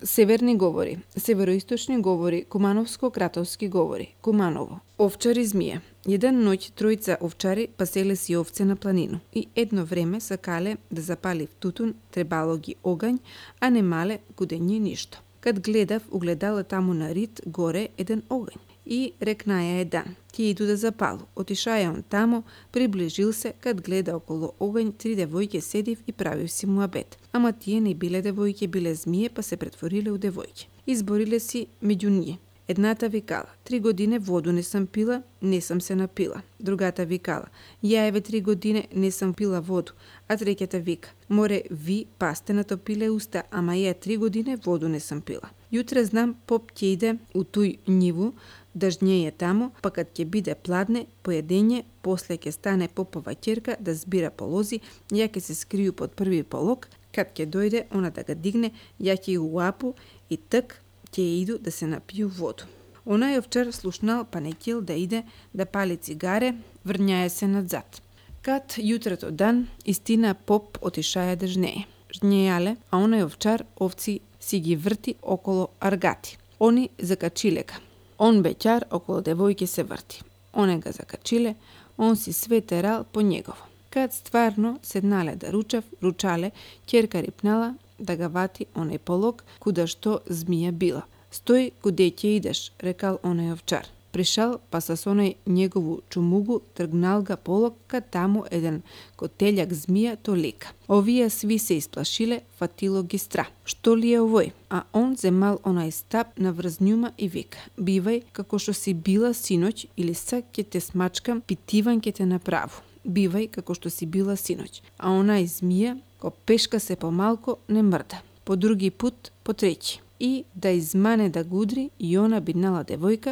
Северни говори, североисточни говори, кумановско-кратовски говори, Куманово. Овчари змија. Еден ноќ тројца овчари паселе си овце на планину и едно време сакале да запали в тутун, требало ги огањ, а немале кудење ништо. Кад гледав, угледала таму на рид горе еден огањ и рекнаја едан: "Ти иду да запалу." Отишаја он тамо, приближил се, кад гледа околу огањ 3 девојке седив и правив си муабет. Ама тие не биле девојке, биле змие, па се претвориле у девојке. Избориле си меѓу ние. Едната викала: 3 години воду не сам пила, не сам се напила. Другата викала: ја еве 3 години не сам пила воду. А третјата вика: море ви па сте натопиле уста, ама ја 3 години воду не сам пила. Јутре знам поп ќе иде у тој ниву да жњеje таму, па кад ќе биде пладне, поедење, после ќе стане попова ќерка да збира полози, ја ќе се скрiju под први полог, кад ќе дојде она да га дигне, ја ќе го уапу и тък ќе иду да се напију воду. Онај овчар слушнал, па не ќел да иде да пали цигаре, врњаje се надзад. Кад јутрото дан, истина поп отишаја да жнее. Жнејале, а онај овчар овци си ги врти около аргати. Они закачиле га. Он беќар около девојке се врти. Оне га закачиле, он си све терал по негово. Кад стварно седнале да ручале, ќерка рипнала да га вати онај полог, куда што змија била. "Стој, куде ќе идеш?" рекал онај овчар. Пришал, па со онај негову чумугу тргнал га полог, кад таму еден котељак змија то лика. Овие сви се исплашиле, фатило ги стра. Што ли е овој? А он земал онај стап на врзнјума и вика: "Бивај како што си била синоќ, или сак ќе те смачкам, питиван ќе те направу. Бивај како што си била синоќ." А онај змија, ко пешка се помалко, не мрда. По други пут, по треќи. И да измане да гудри, и она биднала девојка,